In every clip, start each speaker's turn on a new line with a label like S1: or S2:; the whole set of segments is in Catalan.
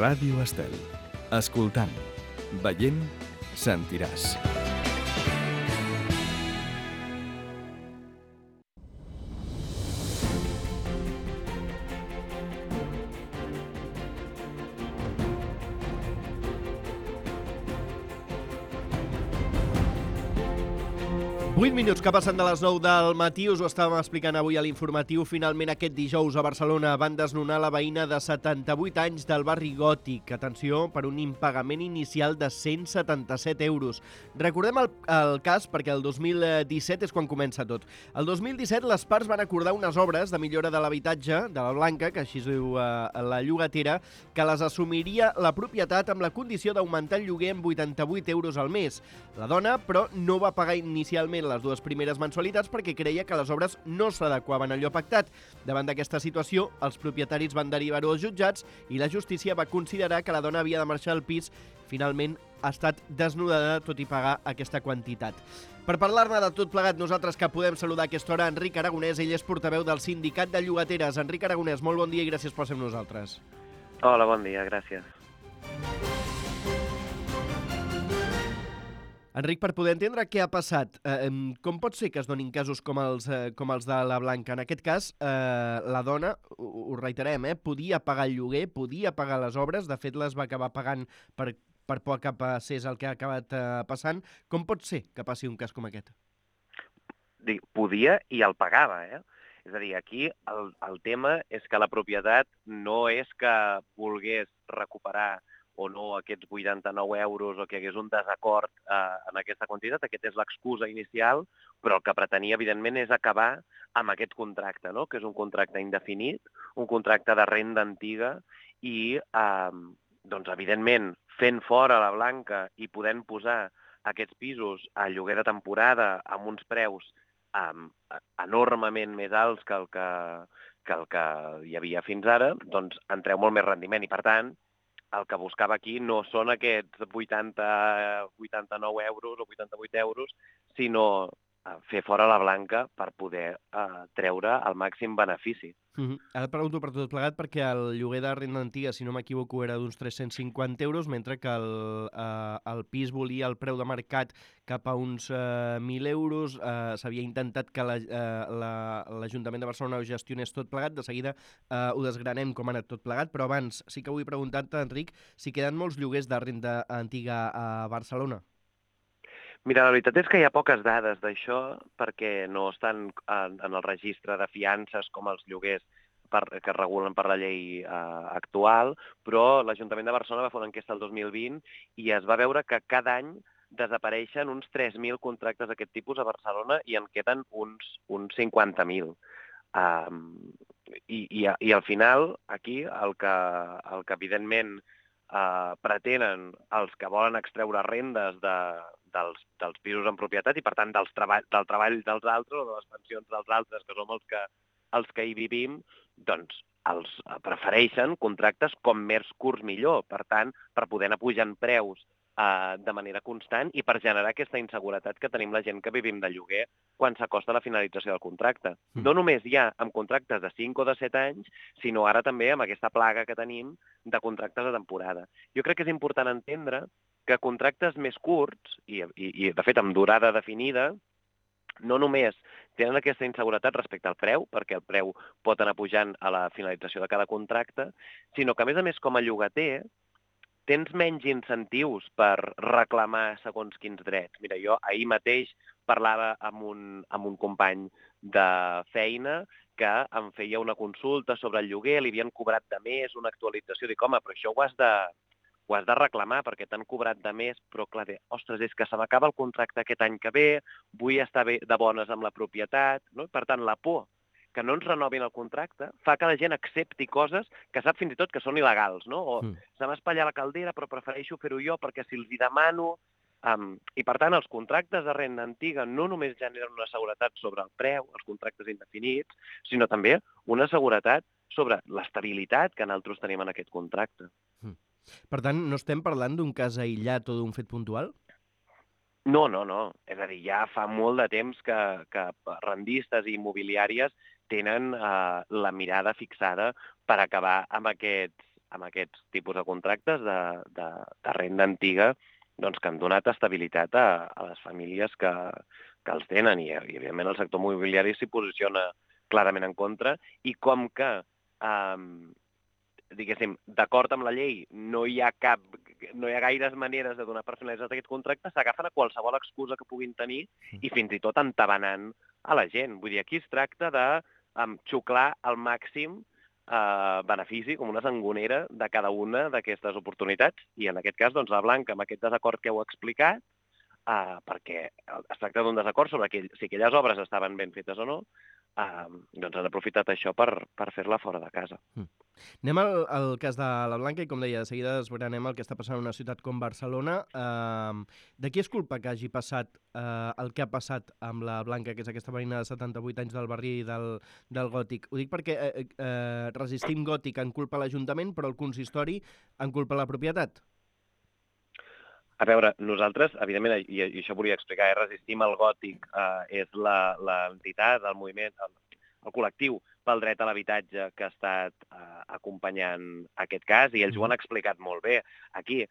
S1: Ràdio Estel. Escoltant, veient, sentiràs.
S2: Vuit minuts que passen de les 9 del matí, us ho estàvem explicant avui a l'informatiu. Finalment, aquest dijous a Barcelona van desnonar la veïna de 78 anys del barri Gòtic. Atenció, per un impagament inicial de 177 euros. Recordem el cas perquè el 2017 és quan comença tot. El 2017 les parts van acordar unes obres de millora de l'habitatge de la Blanca, que així es diu la llogatera, que les assumiria la propietat amb la condició d'augmentar el lloguer en 88 euros al mes. La dona, però, no va pagar inicialment les dues primeres mensualitats perquè creia que les obres no s'adequaven a allò pactat. Davant d'aquesta situació, els propietaris van derivar-ho als jutjats i la justícia va considerar que la dona havia de marxar al pis. Finalment ha estat desnudada, tot i pagar aquesta quantitat. Per parlar-ne de tot plegat, nosaltres que podem saludar a aquesta hora Enric Aragonès, ell és portaveu del Sindicat de Llogateres. Enric Aragonès, molt bon dia i gràcies per ser amb nosaltres.
S3: Hola, bon dia, gràcies.
S2: Enric, per poder entendre què ha passat, com pot ser que es donin casos com els de la Blanca? En aquest cas, la dona, ho reiterem, podia pagar el lloguer, podia pagar les obres, de fet les va acabar pagant per por que passés el que ha acabat passant. Com pot ser que passi un cas com aquest?
S3: Podia i el pagava, És a dir, aquí el tema és que la propietat no és que volgués recuperar o no aquests 89 euros o que hi hagués un desacord en aquesta quantitat. Aquesta és l'excusa inicial, però el que pretenia, evidentment, és acabar amb aquest contracte, no? Que és un contracte indefinit, un contracte de renda antiga i, doncs, evidentment, fent fora la Blanca i podent posar aquests pisos a lloguer de temporada amb uns preus enormement més alts que el que hi havia fins ara, doncs en treu molt més rendiment i, per tant, el que buscava aquí no són aquests 89 euros o 88 euros, sinó fer fora la Blanca per poder treure el màxim benefici.
S2: Ara et pregunto per tot plegat perquè el lloguer de renda antiga, si no m'equivoco, era d'uns 350 euros, mentre que el pis volia el preu de mercat cap a uns 1.000 euros. S'havia intentat que l'Ajuntament de Barcelona ho gestionés tot plegat. De seguida ho desgranem com ha anat tot plegat, però abans sí que vull preguntar-te, Enric, si queden molts lloguers de renda antiga a Barcelona.
S3: Mira, la veritat és que hi ha poques dades d'això perquè no estan en el registre de fiances com els lloguers que es regulen per la llei actual, però l'Ajuntament de Barcelona va fer una enquesta el 2020 i es va veure que cada any desapareixen uns 3.000 contractes d'aquest tipus a Barcelona i en queden uns 50.000. I al final, aquí, el que evidentment pretenen els que volen extreure rendes dels pisos en propietat i, per tant, del treball dels altres o de les pensions dels altres, que som els que hi vivim, doncs els prefereixen contractes com més curts millor. Per tant, per poder anar pujant preus de manera constant i per generar aquesta inseguretat que tenim la gent que vivim de lloguer quan s'acosta la finalització del contracte. No només ja amb contractes de 5 o de 7 anys, sinó ara també amb aquesta plaga que tenim de contractes de temporada. Jo crec que és important entendre que contractes més curts, i de fet amb durada definida, no només tenen aquesta inseguretat respecte al preu, perquè el preu pot anar pujant a la finalització de cada contracte, sinó que, a més, com a llogater, tens menys incentius per reclamar segons quins drets. Mira, jo ahir mateix parlava amb un company de feina que em feia una consulta sobre el lloguer, li havien cobrat de més una actualització. Dic, home, però això ho has de reclamar perquè t'han cobrat de més, però clar, ostres, és que se m'acaba el contracte aquest any que ve, vull estar bé de bones amb la propietat, no? Per tant, la por que no ens renovin el contracte fa que la gent accepti coses que sap fins i tot que són il·legals, no? O se m'ha espatllat la caldera, però prefereixo fer-ho jo perquè si els hi demano... I, per tant, els contractes de renda antiga no només generen una seguretat sobre el preu, els contractes indefinits, sinó també una seguretat sobre l'estabilitat que nosaltres tenim en aquest contracte.
S2: Per tant, no estem parlant d'un cas aïllat o d'un fet puntual?
S3: No. És a dir, ja fa molt de temps que rendistes i immobiliàries tenen la mirada fixada per acabar amb aquests amb aquests tipus de contractes de renda antiga doncs, que han donat estabilitat a les famílies que els tenen i evidentment, el sector immobiliari s'hi posiciona clarament en contra i com que, diguéssim, d'acord amb la llei no hi ha gaires maneres de donar per finalitzat aquest contracte, s'agafen a qualsevol excusa que puguin tenir i fins i tot entabanant a la gent. Vull dir, aquí es tracta de xuclar al màxim benefici, com una sangonera de cada una d'aquestes oportunitats. I en aquest cas, doncs, la Blanca, amb aquest desacord que heu explicat, perquè es tracta d'un desacord sobre si aquelles obres estaven ben fetes o no, doncs han aprofitat això per fer-la fora de casa.
S2: Anem al cas de la Blanca i, com deia, de seguida desbranem el que està passant en una ciutat com Barcelona. De qui és culpa que hagi passat el que ha passat amb la Blanca, que és aquesta veïna de 78 anys del barri del Gòtic? Ho dic perquè Resistim Gòtic en culpa l'Ajuntament, però el consistori en culpa la propietat.
S3: A veure, nosaltres, evidentment, i això volia explicar, Resistim el Gòtic és l'entitat, el moviment, el col·lectiu pel dret a l'habitatge que ha estat acompanyant aquest cas i ells ho han explicat molt bé. Aquí,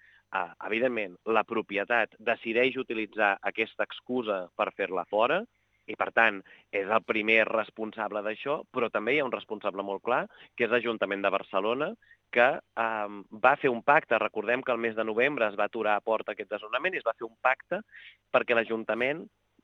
S3: evidentment, la propietat decideix utilitzar aquesta excusa per fer-la fora i, per tant, és el primer responsable d'això, però també hi ha un responsable molt clar, que és l'Ajuntament de Barcelona, que va fer un pacte. Recordem que el mes de novembre es va aturar a porta aquest desnonament i es va fer un pacte perquè l'Ajuntament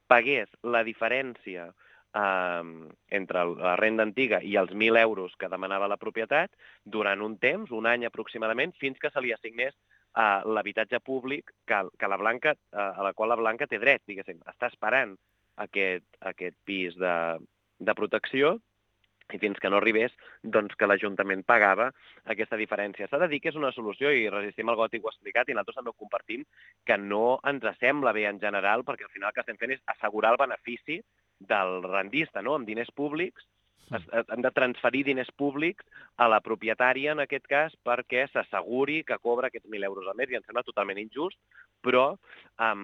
S3: pagués la diferència entre la renda antiga i els 1.000 euros que demanava la propietat durant un temps, un any aproximadament, fins que se li assignés l'habitatge públic a la qual la Blanca té dret, diguéssim. Està esperant aquest pis de protecció i fins que no arribés, doncs que l'Ajuntament pagava aquesta diferència. S'ha de dir que és una solució, i Resistim el Gòtic ho ha explicat, i nosaltres també ho compartim, que no ens sembla bé en general, perquè al final el que estem fent és assegurar el benefici del rendista, no? Amb diners públics, han de transferir diners públics a la propietària, en aquest cas, perquè s'asseguri que cobra aquests 1.000 euros al mes, i em sembla totalment injust, però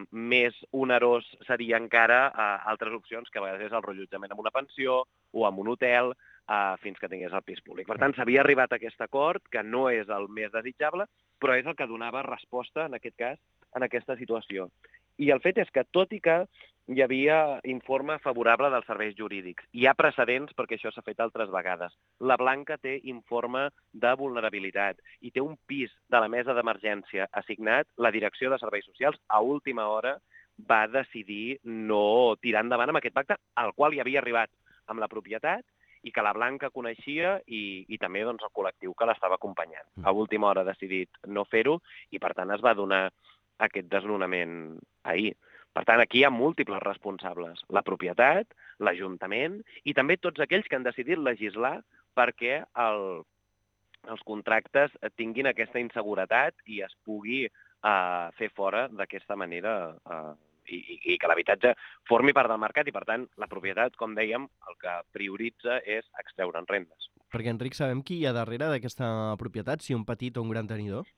S3: més onerós seria encara altres opcions, que a vegades és el rellotjament en una pensió o en un hotel, fins que tingués el pis públic. Per tant, s'havia arribat a aquest acord, que no és el més desitjable, però és el que donava resposta, en aquest cas, en aquesta situació. I el fet és que, tot i que hi havia informe favorable dels serveis jurídics, hi ha precedents perquè això s'ha fet altres vegades. La Blanca té informe de vulnerabilitat i té un pis de la mesa d'emergència assignat. La Direcció de Serveis Socials, a última hora, va decidir no tirar endavant amb aquest pacte, al qual hi havia arribat amb la propietat, i que la Blanca coneixia i també doncs, el col·lectiu que l'estava acompanyant. A última hora ha decidit no fer-ho i, per tant, es va donar aquest desnonament ahir. Per tant, aquí hi ha múltiples responsables. La propietat, l'Ajuntament i també tots aquells que han decidit legislar perquè els contractes tinguin aquesta inseguretat i es pugui fer fora d'aquesta manera i que l'habitatge formi part del mercat i, per tant, la propietat, com dèiem, el que prioritza és extreure'n rendes.
S2: Perquè, Enric, sabem qui hi ha darrere d'aquesta propietat, si un petit o un gran tenidor?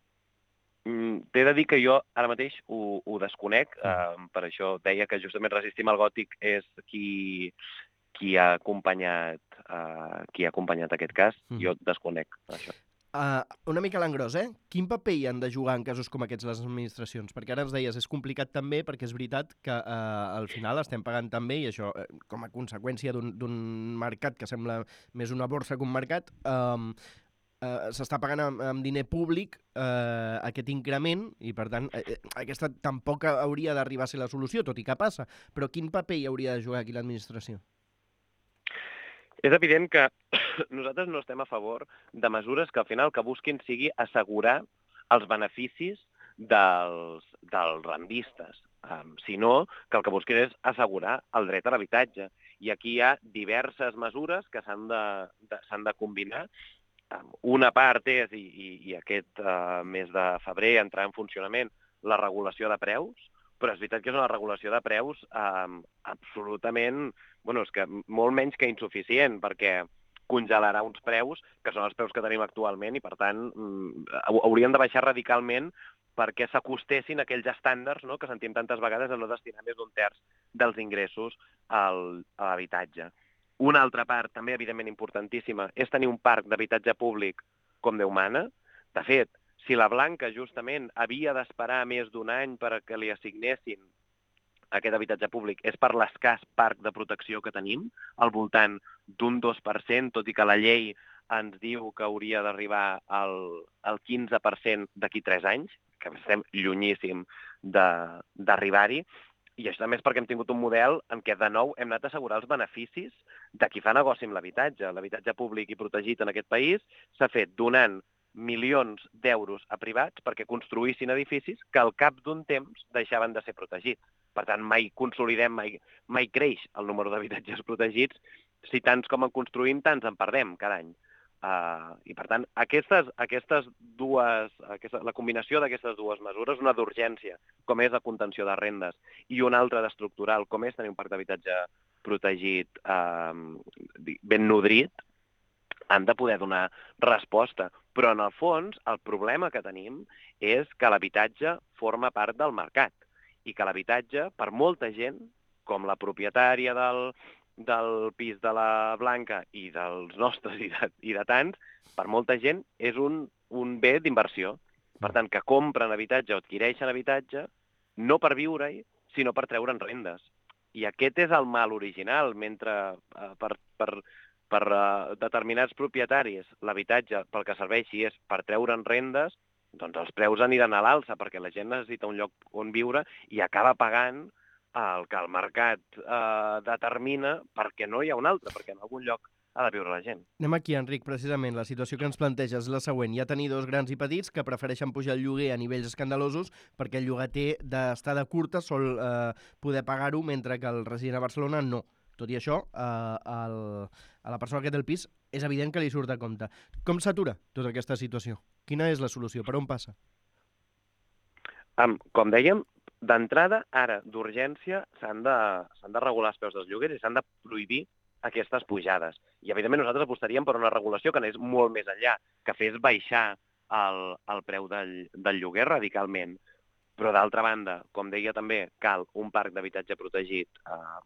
S3: T'he de dir que jo ara mateix ho desconec, per això deia que justament Resistim el Gòtic és qui ha acompanyat aquest cas. Jo desconec això.
S2: Una mica a l'engròs, Quin paper hi han de jugar en casos com aquests les administracions? Perquè ara ens deies, és complicat també, perquè és veritat que al final estem pagant també, i això com a conseqüència d'un mercat que sembla més una borsa que un mercat, s'està pagant amb diner públic aquest increment i, per tant, aquesta tampoc hauria d'arribar a ser la solució, tot i que passa. Però quin paper hi hauria de jugar aquí l'administració?
S3: És evident que nosaltres no estem a favor de mesures que al final el que busquin sigui assegurar els beneficis dels rendistes, sinó que el que busquin és assegurar el dret a l'habitatge. I aquí hi ha diverses mesures que s'han de combinar. Una part és, i aquest mes de febrer entrarà en funcionament, la regulació de preus, però és veritat que és una regulació de preus absolutament, és que molt menys que insuficient, perquè congelarà uns preus que són els preus que tenim actualment i, per tant, haurien de baixar radicalment perquè s'acostessin a aquells estàndards que sentim tantes vegades de no destinar més d'un terç dels ingressos a l'habitatge. Una altra part, també evidentment importantíssima, és tenir un parc d'habitatge públic com Déu mana, De fet, si la Blanca justament havia d'esperar més d'un any perquè li assignessin aquest habitatge públic, és per l'escàs parc de protecció que tenim, al voltant d'un 2%, tot i que la llei ens diu que hauria d'arribar al 15% d'aquí 3 anys, que estem llunyíssim d'arribar-hi, i això també és perquè hem tingut un model en què, de nou, hem anat a assegurar els beneficis de qui fa negoci amb l'habitatge. L'habitatge públic i protegit en aquest país s'ha fet donant milions d'euros a privats perquè construïssin edificis que al cap d'un temps deixaven de ser protegits. Per tant, mai consolidem, mai creix el número d'habitatges protegits. Si tants com en construïm, tants en perdem cada any. I, per tant, la combinació d'aquestes dues mesures, una d'urgència, com és la contenció de rendes, i una altra d'estructural, com és tenir un parc d'habitatge protegit ben nodrit, han de poder donar resposta. Però, en el fons, el problema que tenim és que l'habitatge forma part del mercat i que l'habitatge, per molta gent, com la propietària del pis de la Blanca i dels nostres i de tants, per molta gent és un bé d'inversió. Per tant, que compren habitatge o adquireixen habitatge no per viure-hi, sinó per treure'n rendes. I aquest és el mal original, mentre per determinats propietaris l'habitatge pel que serveixi és per treure'n rendes, doncs els preus aniran a l'alça perquè la gent necessita un lloc on viure i acaba pagant el que el mercat determina perquè no hi ha un altre, perquè en algun lloc ha de viure la gent.
S2: Anem aquí, Enric, precisament. La situació que ens planteja és la següent. Hi ha tenidors grans i petits que prefereixen pujar el lloguer a nivells escandalosos perquè el llogater d'estada curta sol poder pagar-ho, mentre que el resident a Barcelona no. Tot i això, a la persona que té el pis és evident que li surt a compte. Com s'atura tota aquesta situació? Quina és la solució? Per on passa?
S3: Com dèiem, d'entrada, ara, d'urgència, s'han de regular els preus dels lloguers i s'han de prohibir aquestes pujades. I, evidentment, nosaltres apostaríem per una regulació que anés molt més enllà, que fes baixar el preu del lloguer radicalment. Però, d'altra banda, com deia també, cal un parc d'habitatge protegit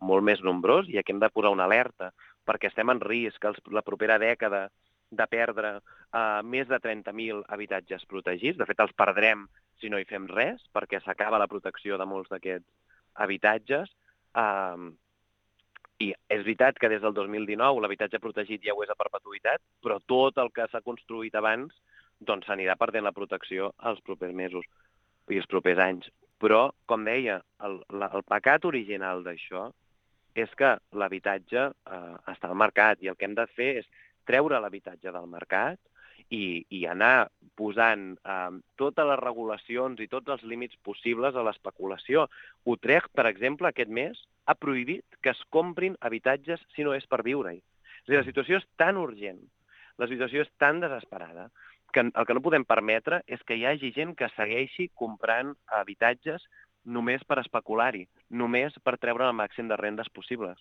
S3: molt més nombrós i aquí hem de posar una alerta perquè estem en risc la propera dècada de perdre més de 30.000 habitatges protegits. De fet, els perdrem si no hi fem res, perquè s'acaba la protecció de molts d'aquests habitatges. I és veritat que des del 2019 l'habitatge protegit ja ho és a perpetuïtat, però tot el que s'ha construït abans doncs s'anirà perdent la protecció els propers mesos i els propers anys. Però, com deia, el pecat original d'això és que l'habitatge està al mercat i el que hem de fer és treure l'habitatge del mercat i anar posant totes les regulacions i tots els límits possibles a l'especulació. Utrecht, per exemple, aquest mes ha prohibit que es comprin habitatges si no és per viure-hi. És a dir, la situació és tan urgent, la situació és tan desesperada, que el que no podem permetre és que hi hagi gent que segueixi comprant habitatges només per especular-hi, només per treure el màxim de rendes possibles.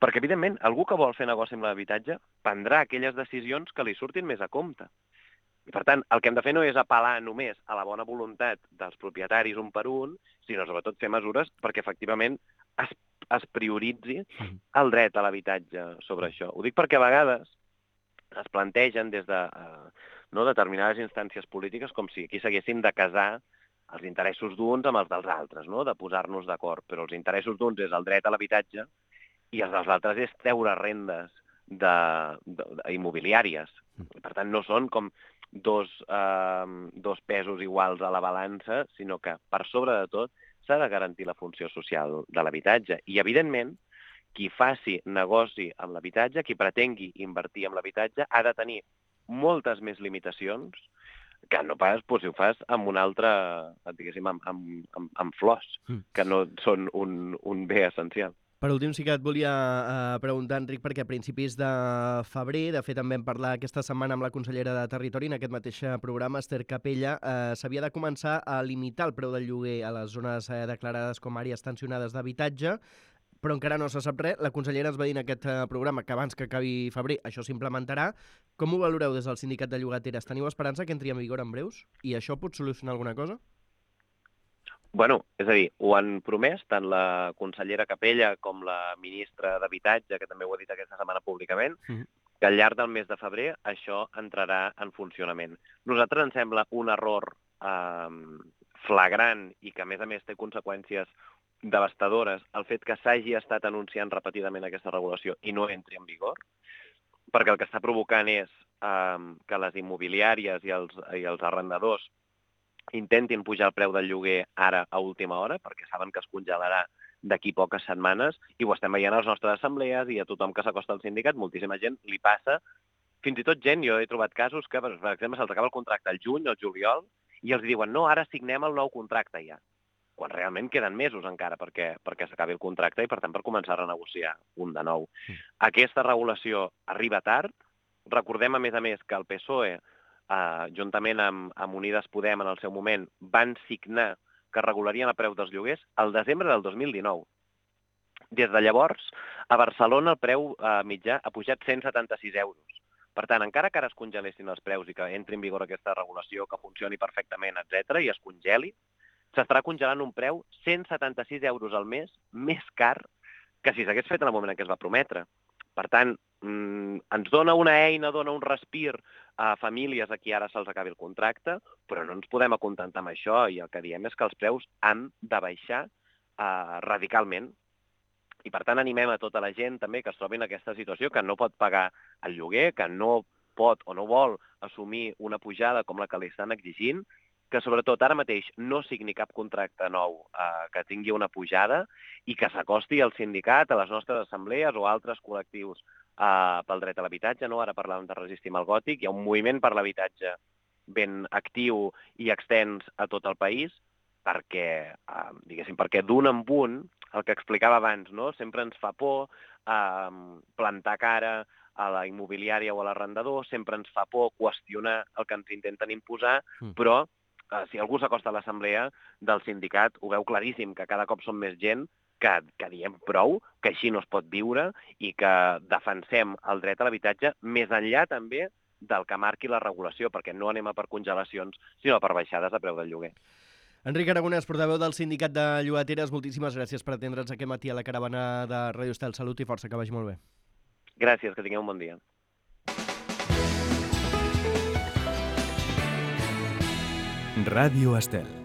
S3: Perquè, evidentment, algú que vol fer negoci amb l'habitatge prendrà aquelles decisions que li surtin més a compte. I, per tant, el que hem de fer no és apel·lar només a la bona voluntat dels propietaris un per un, sinó sobretot fer mesures perquè, efectivament, es prioritzi el dret a l'habitatge sobre això. Ho dic perquè a vegades es plantegen des de determinades instàncies polítiques com si aquí s'haguessin de casar els interessos d'uns amb els dels altres, de posar-nos d'acord. Però els interessos d'uns és el dret a l'habitatge i els dels altres és treure rendes immobiliàries. Per tant, no són com dos pesos iguals a la balança, sinó que, per sobre de tot, s'ha de garantir la funció social de l'habitatge. I, evidentment, qui faci negoci amb l'habitatge, qui pretengui invertir en l'habitatge, ha de tenir moltes més limitacions que no pas si ho fas amb un altre, diguéssim, amb flors, que no són un bé essencial.
S2: Per últim, sí que et volia preguntar, Enric, perquè a principis de febrer, de fet també vam parlar aquesta setmana amb la consellera de Territori en aquest mateix programa, Esther Capella, s'havia de començar a limitar el preu del lloguer a les zones declarades com àrees tensionades d'habitatge, però encara no se sap res. La consellera ens va dir en aquest programa que abans que acabi febrer això s'implementarà. Com ho valoreu des del sindicat de llogateres? Teniu esperança que entri en vigor en breus? I això pot solucionar alguna cosa?
S3: Bueno, és a dir, ho han promès tant la consellera Capella com la ministra d'Habitatge, que també ho ha dit aquesta setmana públicament, que al llarg del mes de febrer això entrarà en funcionament. Nosaltres ens sembla un error flagrant i que, a més, té conseqüències devastadores el fet que s'hagi estat anunciant repetidament aquesta regulació i no entri en vigor, perquè el que està provocant és que les immobiliàries i els arrendadors intentin pujar el preu del lloguer ara a última hora, perquè saben que es congelarà d'aquí poques setmanes, i ho estem veient a les nostres assemblees i a tothom que s'acosta al sindicat, moltíssima gent li passa, fins i tot gent, jo he trobat casos que, per exemple, se'ls acaba el contracte al juny o al juliol i els diuen, no, ara signem el nou contracte ja, quan realment queden mesos encara perquè s'acabi el contracte i, per tant, per començar a renegociar un de nou. Aquesta regulació arriba tard. Recordem, a més, que el PSOE, juntament amb Unides Podem en el seu moment, van signar que regularien el preu dels lloguers al desembre del 2019. Des de llavors, a Barcelona el preu mitjà ha pujat 176 euros. Per tant, encara que ara es congelessin els preus i que entri en vigor aquesta regulació, que funcioni perfectament, etc., i es congeli, s'estarà congelant un preu 176 euros al mes més car que si s'hagués fet en el moment en què es va prometre. Per tant, ens dona una eina, dona un respir a famílies a qui ara se'ls acabi el contracte, però no ens podem acontentar amb això i el que diem és que els preus han de baixar radicalment. I per tant animem a tota la gent també que es trobi en aquesta situació, que no pot pagar el lloguer, que no pot o no vol assumir una pujada com la que li estan exigint, que sobretot ara mateix no signi cap contracte nou que tingui una pujada i que s'acosti al sindicat, a les nostres assemblees o a altres col·lectius pel dret a l'habitatge. No? Ara parlàvem de Resistim al Gòtic, hi ha un moviment per l'habitatge ben actiu i extens a tot el país perquè, perquè d'un en un, el que explicava abans, no? Sempre ens fa por plantar cara a la immobiliària o a l'arrendador, sempre ens fa por qüestionar el que ens intenten imposar, però si algú s'acosta a l'assemblea del sindicat, ho veu claríssim, que cada cop som més gent que diem prou, que així no es pot viure i que defensem el dret a l'habitatge més enllà també del que marqui la regulació, perquè no anem a per congelacions, sinó per baixades de preu del lloguer.
S2: Enric Aragonès, portaveu del Sindicat de Llogateres, moltíssimes gràcies per atendre'ns aquest matí a la caravana de Ràdio Estel. Salut i força, que vagi molt bé.
S3: Gràcies, que tingueu un bon dia.
S1: Ràdio Estel.